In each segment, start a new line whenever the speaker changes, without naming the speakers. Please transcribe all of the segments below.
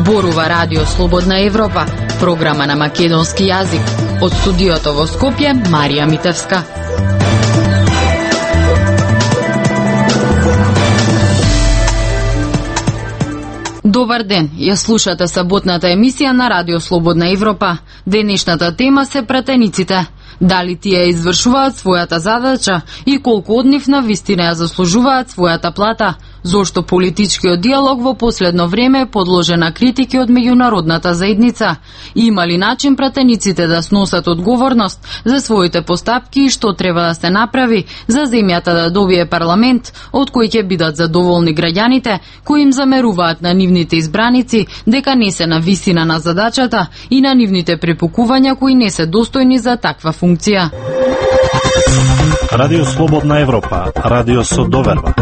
Зборува Радио Слободна Европа, програма на македонски јазик. Од студиото во Скопје, Марија Митевска. Добар ден, ја слушате саботната емисија на Радио Слободна Европа. Денешната тема се пратениците. Дали тие извршуваат својата задача и колку од нив навистина ја заслужуваат својата плата? Зошто политичкиот диалог во последно време е подложен на критики од меѓународната заедница? Има ли начин пратениците да сносат одговорност за своите постапки и што треба да се направи за земјата да добие парламент од кој ќе бидат задоволни граѓаните кои им замеруваат на нивните избраници дека не се на висина на задачата и на нивните препукувања кои не се достојни за таква функција?
Радио Слободна Европа, радио со доверба.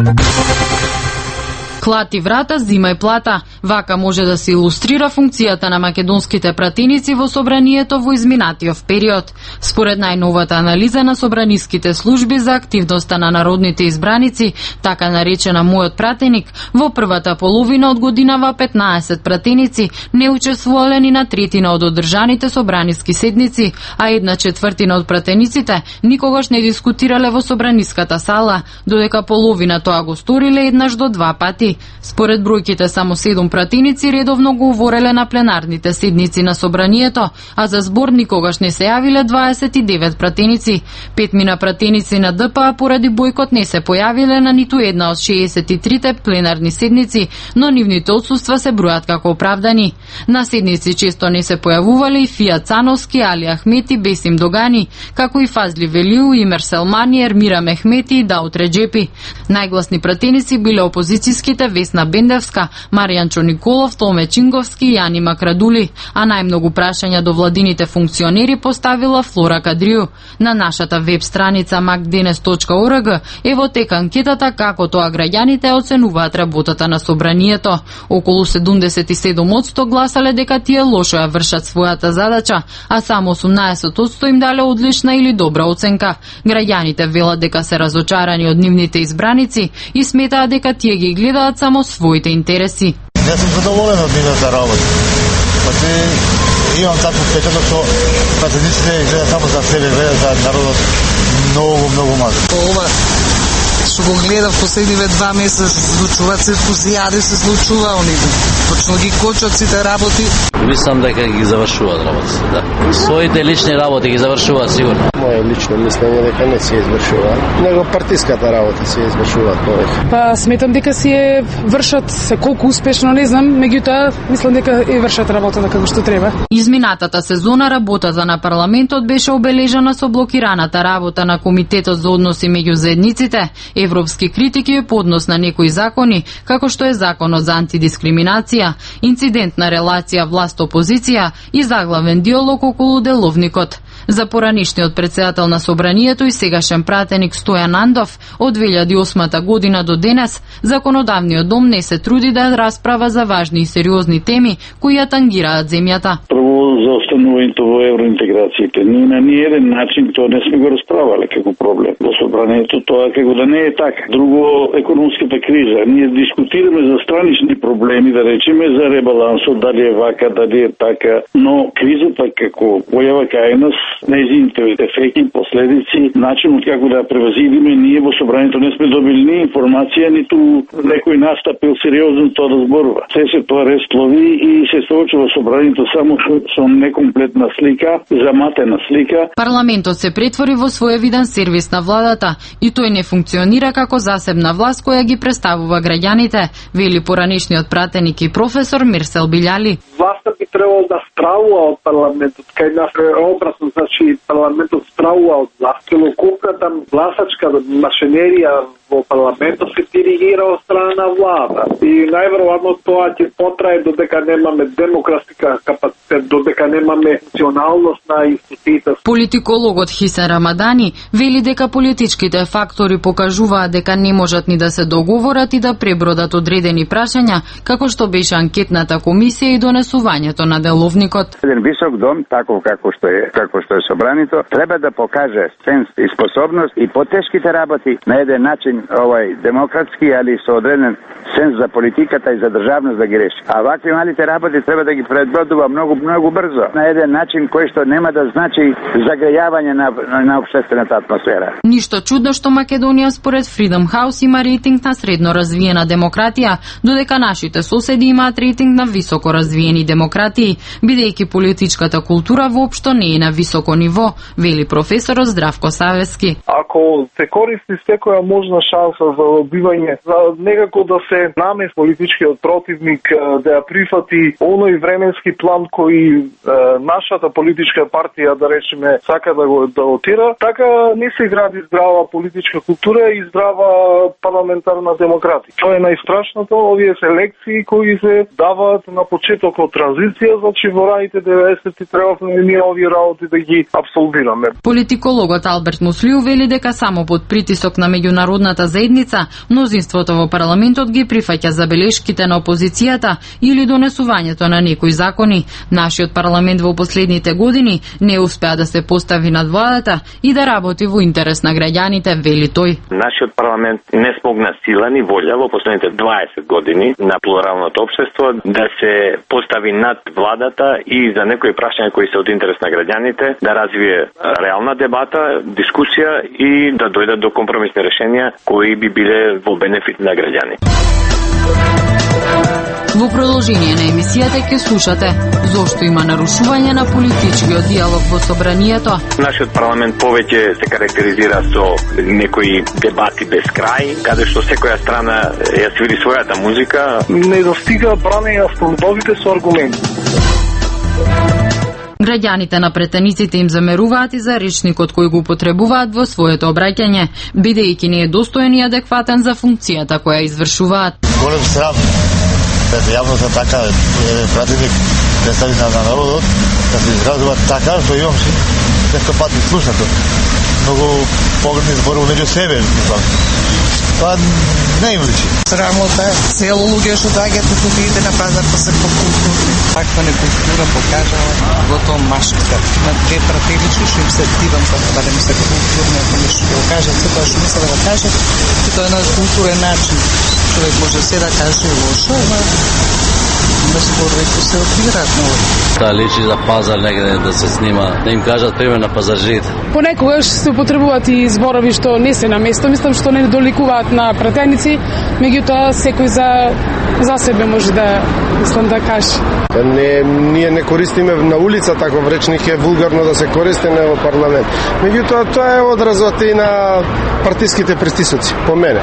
Клати врата, зимај плата. Вака може да се илустрира функцијата на македонските пратеници во собранието во изминатиот период. Според најновата анализа на собраниските служби за активноста на народните избраници, така наречена Мојот пратеник, во првата половина од годинава 15 пратеници не учествувале ни на третина од одржаните собраниски седници, а 1/4 од пратениците никогаш не дискутирале во собраниската сала, додека половина тоа го сториле еднаш до 2 пати. Според бројките, само 7 пратеници редовно го говореле на пленарните седници на собранието, а за збор никогаш не се јавиле 29 пратеници. 5 пратеници на ДПА поради бојкот не се појавиле на ниту една од 63-те пленарни седници, но нивните отсуства се бројат како оправдани. На седници често не се појавувале и Фија Цановски, Али Ахмети, Бесим Догани, како и Фазли Велиу, Имер Селмани, Ермира Мехмети и Даут Реджепи. Најгласни пратеници биле опозицијските Весна Бендевска, Маријанчо Николов, Томе Чинговски и Јани Макрадули, а најмногу прашања до владините функционери поставила Флора Кадрију. На нашата веб страница macdenes.org е во тек анкетата како тоа граѓаните оценуваат работата на собранието. Околу 77% гласале дека тие лошо ја вршат својата задача, а само 18% им дале одлична или добра оценка. Граѓаните велат дека се разочарани од нивните избраници и сметаат дека тие ги гледаат само своите интереси.
Јас сум задоволен од нивната работа. Имам такво впечаток што пратениците гледаат само за себе, гледаат за народот многу мало.
Ова што го гледав последниве 2 месеца се случуваат, се фузијади се случува, они точно ги кочат сите работи.
Мислам дека ги завршуваат работите, да. Своите лични работи ги завршуваат сигурно.
Моје лично мислење дека не се извршуваат, него партиската работа се извршуваат повеќе.
Па сметам дека си е вршат, се колку успешно не знам, меѓутоа мислам дека е вршат работата како што треба.
Изминатата сезона работата на парламентот беше обележана со блокираната работа на Комитетот за односи меѓу заедниците, европски критики и поднос на некои закони, како што е законот за антидискриминација, инцидентна релација власт-опозиција и заглавен диалог околу деловникот. За поранишниот председател на собранието и сегашен пратеник Стојан Андов од 2008 година до денес, законодавниот дом не се труди да расправа за важни и сериозни теми кои ја тангираат земјата.
Прво за останувањето во евроинтеграциите. Ние на ниеден начин тоа не сме го расправале како проблем. Во собранието тоа како да не е така. Друго, економската криза. Ние дискутираме за странични проблеми, да речеме за ребалансот, дали е вака, дали е така, но кризата како појава кај нас, нејзините ефекти, последици, начинот како да ја превазидиме, ние во собранието не сме добили ни информација, ниту некој настапил сериозно тоа да зборува. Се тоа расплови и се соочува собранието само со некомплетна слика, заматена слика.
Парламентот се претвори во своевиден сервис на владата и тој не функционира како засебна власт која ги представува граѓаните, вели поранишниот пратеник и професор Мирсел Билјали.
Власта би требало да справува од парламентот, кај нас е образно, значи парламентот справува од власт. Целокупната гласачка машинерија во парламентот се диригира од страна на влада. И најверојатно тоа ќе потрае додека немаме демократска капацитет додека немаме функционалност на институциите.
Политикологот Хисен Рамадани вели дека политичките фактори покажуваат дека не можат ни да се договорат и да пребродат одредени прашања, како што беше анкетната комисија и донесувањето на деловникот.
Еден висок дом, таков како што е собранието, треба да покаже сенс и способност и потешките работи на еден начин демократски, али со одреден сенс за политиката и за државност да ги реши. А вакви малите работи треба да ги предбродува многу брзо, на еден начин кој што нема да значи загрејавање на општествената атмосфера.
Ништо чудно што Македонија според Freedom House има рейтинг на средно развиена демократија, додека нашите соседи имаат рейтинг на високо развиени демократии, бидејќи политичката култура воопшто не е на високо ниво, вели професорот Здравко Савески.
Ако се користи секоја можна шанса за добивање, за некако да се намес политичкиот противник, да ја прифати оној временски план кој нашата политичка партија, да речеме, сака да го отира, така не се гради здрава политичка култура и здрава парламентарна демократија. Тоа е најстрашното, овие селекции кои се даваат на почеток од транзиција, значи во раните 90-ти требавме ние овие работи да ги абсолвираме.
Политикологот Алберт Муслиу вели дека само под притисок на меѓународната заедница, мнозинството во парламентот ги прифаќа забелешките на опозицијата или донесувањето на некои закони. Нашиот парламент во последните години не успеа да се постави над владата и да работи во интерес на граѓаните, вели тој.
Нашиот парламент не смогна сила ни волја во последните 20 години на плуралното општество да се постави над владата и за некои прашања кои се од интерес на граѓаните, да развие реална дебата, дискусија и да дојдат до компромисни решенија кои би биле во бенефит на граѓани.
Во продолжение на емисијата ќе слушате зошто има нарушување на политичкиот диалог во собранието.
Нашиот парламент повеќе се карактеризира со некои дебати без крај, каде што секоја страна ја свири својата музика.
Не достига бранење слободите со аргументи.
Граѓаните на претениците им замеруваат и за речникот кој го употребуваат во своето обраќање, бидејќи не е достоен и адекватен за функцијата која извршуваат.
Голем срам пред јавноста така пратеник представител на народот да се изразува така што имам често пати слушато. Многу погрешни зборови меѓу себе, мислам. Тоа не им личи.
Срамота е цело луѓе што доаѓаат тука идете на пазар па се покултурни. Таква некултура покажала во тоа машка. Има две пратенички што им се активам за да не се културни, ако нешто го кажат, се тоа што мисля да го кажат, и тоа е на културен начин. Човек може се да каже лошо, ама да спорвеќе се отбираат нови.
Да личи за пазар негде да се снима, да им кажат пример на пазаржите.
Понекогаш се употребуваат и зборови што не се на место, мислам што не доликуваат на пратеници, меѓутоа секој за себе може да да каже.
Ние не користиме на улица таков речник, е вулгарно да се користи во парламент. Меѓутоа тоа е одразот и на партиските престисоци, по мене,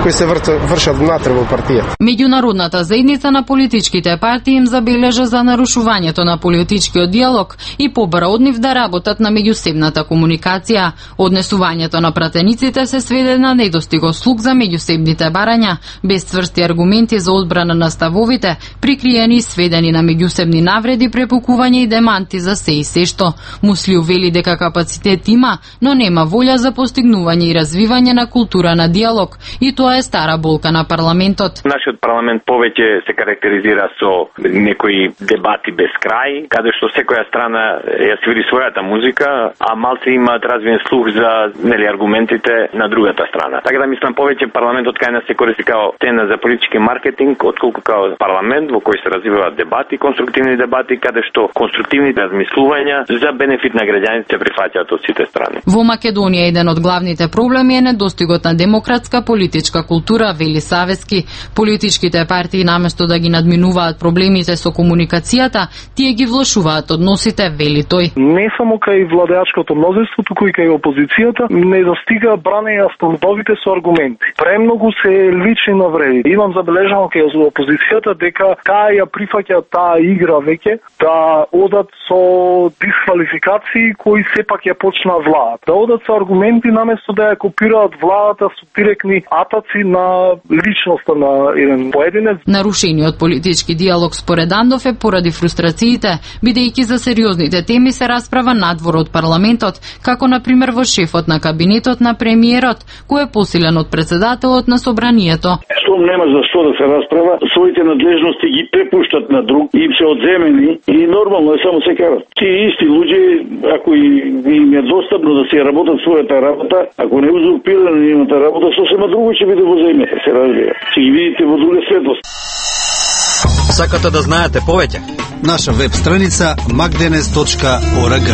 кои се вршат внатре во партијата.
Меѓународната заедница на политичките партии им забележа за нарушувањето на политичкиот диалог и побара од нив да работат на меѓусебната комуникација. Однесувањето на пратениците се сведе на недостиго слух за меѓусебните барања, без цврсти аргументи за одбрана на ставовите, прикриени и сведени на меѓусебни навреди, препукување и деманти за се и се што. Муслиу вели дека капацитет има, но нема волја за постигнување и развивање на култура на диалог, и тоа е стара болка на парламентот.
Нашиот парламент повеќе се карактеризира со некои дебати без крај, каде што секоја страна ја свири својата музика, а малце имаат развиен слух за аргументите на другата страна. Така да мислам повеќе парламентот кај нас се користи као тена за политички маркетинг, отколку као парламент во кој се развиваат дебати, конструктивни дебати, каде што конструктивните размислувања за бенефит на граѓаните се прифаќаат од сите страни.
Во Македонија еден од главните проблеми е недостигот на демократска политичка култура, вели Савески. Политичките партии наместо да ги надминуваат проблемите со комуникацијата, тие ги влошуваат односите, вели тој.
Не само кај владеачкото мнозинство, туку и кај опозицијата не достига бранење слободите со аргументи. Премногу се лични навреди. Имам забележано кај опозицијата дека таа ја прифаќа таа игра веќе да одат со дисквалификации кои сепак ја почна владата. Да одат со аргументи наместо да ја копираат владата со директни атаци на личноста на еден поединец.
Нарушениот политички политички диалог според Андов е поради фрустрациите, бидејќи за сериозните теми се расправа надвор од парламентот, како на пример во шефот на кабинетот на премиерот, кој е посилен од председателот на собранието.
Штом нема за што да се расправа, своите надлежности ги препуштат на друг, им се одземени и нормално е само се карат. Тие исти луѓе, ако им е достапно да се работат својата работа, ако не узурпирано имате работа, сосема друго ќе биде во земјата, се разбира. Ќе ги видите во друга светлост.
Сакате да знаете повеќе?
Наша веб страница magdenes.org.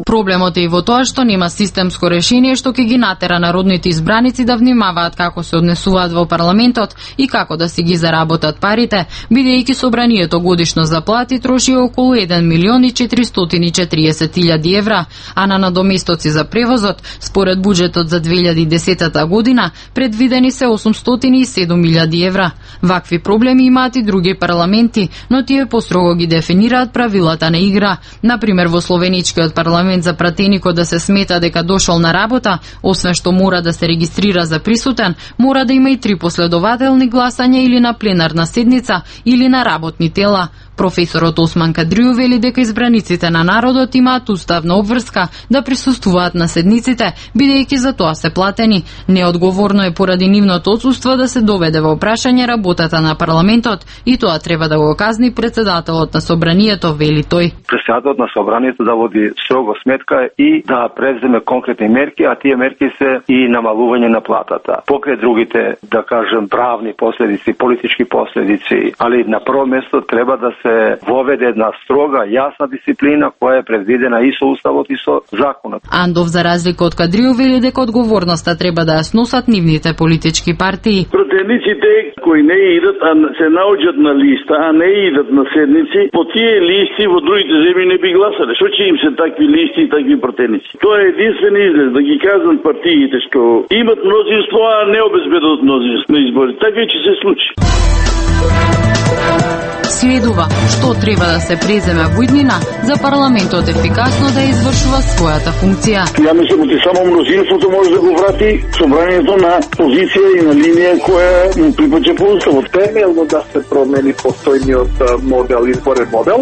Проблемот е и во тоа што нема системско решение што ќе ги натера народните избраници да внимаваат како се однесуваат во парламентот и како да си ги заработат парите, бидејќи собранието годишно за плати троши околу 1.440.000 евра, а на надоместоци за превозот, според буџетот за 2010 година, предвидени се 807.000 евра. Вакви проблеми имаат и други парламенти, но тие построго ги дефинираат правилата на игра. Например, во словеничкиот парламент за пратеникот да се смета дека дошол на работа, освен што мора да се регистрира за присутен, мора да има и 3 последователни гласања или на пленарна седница или на работни тела. Професорот Осман Кадрију вели дека избраниците на народот имаат уставна обврска да присуствуваат на седниците, бидејќи за тоа се платени. Неодговорно е поради нивното отсуство да се доведе во прашање работата на парламентот и тоа треба да го казни председателот на собранието, вели тој.
Председателот на собранието да води строго сметка и да преземе конкретни мерки, а тие мерки се и намалување на платата. Покрај другите, да кажем, правни последици, политички последици, али на прво место треба да се воведе една строга, јасна дисциплина која е предвидена и со уставот и со законот.
Андов, за разлика од Кадрију, вели дека одговорноста треба да ја сносат нивните политички партии.
Пратениците кои не идат, а се наоѓаат на листа, а не идат на седници, по тие листи во другите земји не би гласале. Што ќе им се такви листи и такви пратеници? Тоа е единствен излез да ги кажат партиите што имат мнозинство, а не обезбедуваат мнозинство на избори. Така ќе се случи.
Следува што треба да се преземе во иднина за парламентот ефикасно да извршува својата функција.
Ја мислам дека само мнозинството може да го врати собранието на позиција и на линија која му припаѓа по уставот.
Темелно да се промени постојниот модел, изборен модел.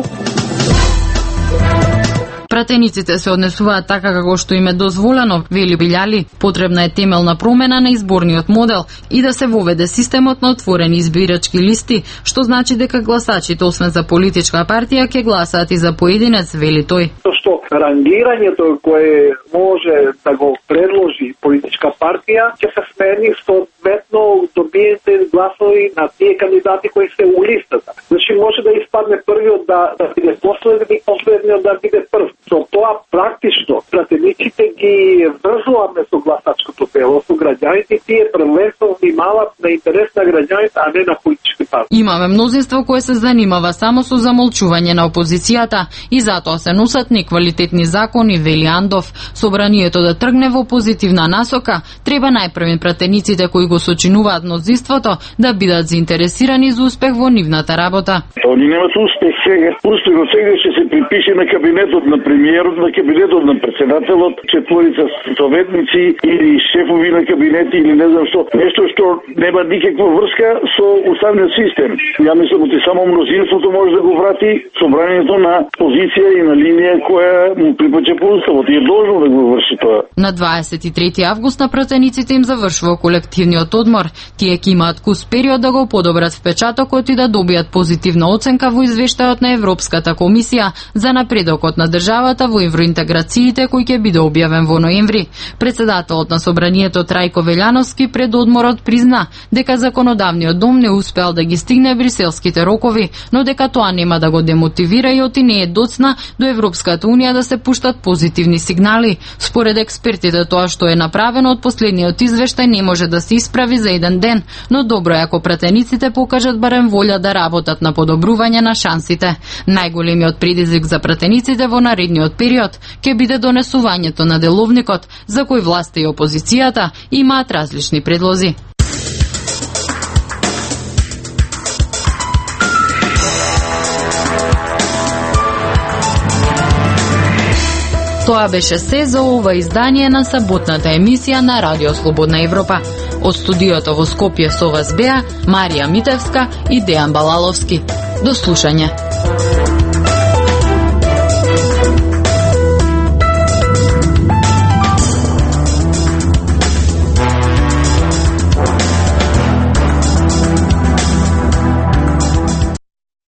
Пратениците се однесуваат така како што им е дозволено, вели Билјали. Потребна е темелна промена на изборниот модел и да се воведе системот на отворени избирачки листи, што значи дека гласачите, освен за политичка партија, ќе гласаат и за поединец, вели тој.
Што рангирањето кое може да го предложи политичка партија ќе се смени соодветно добиете гласови на тие кандидати кои се у листата. Значи може да испадне првиот да биде последен и последниот да биде прв. Со тоа практично пратениците ги врзуваме со гласачкото тело, со граѓаните, тие првенствено внимаваат на интерес на граѓаните, а не на политички партии.
Имаме мнозинство кое се занимава само со замолчување на опозицијата и затоа се носат неквалитетни закони, вели Андов. Собранието да тргне во позитивна насока, треба најпрвен пратениците кои го сочинуваат мнозинството да бидат заинтересирани за успех во нивната работа.
Они немат успех сега. Успехот сега ќе се припише на кабинетот на премиерот, на кабинетот на председателот, четворица советници или шефови на кабинети или не знам што. Нешто што нема никаква врска со уставниот систем. Ја мислам дека само мнозинството може да го врати собранието на позиција и на линија која му припаѓа по уставот и е должно да го врши тоа.
На 23 август на пратениците им завршува колективниот одмор. Тие ќе имаат кус период да го подобрат впечатокот и да добијат позитивна оценка во извештајот на Европската комисија за напредокот на државата во евроинтеграциите кој ќе биде објавен во ноември. Председателот на собранието Трајко Велјановски пред одморот призна дека законодавниот дом не успеал да ги стигне бриселските рокови, но дека тоа нема да го демотивира и оти не е доцна до Европската унија да се пуштат позитивни сигнали. Според експертите тоа што е направено од последниот извештај не може да се исправи за еден ден, но добро е ако пратениците покажат барем волја да работат на подобрување на шансите. Најголемиот предизвик за пратениците во наредниот период ќе биде донесувањето на деловникот, за кој власта и опозицијата имаат различни предлози. Тоа беше се за ова издание на саботната емисија на Радио Слободна Европа. Од студиото во Скопје со вас беа Марија Митевска и Дејан Балаловски. До слушање.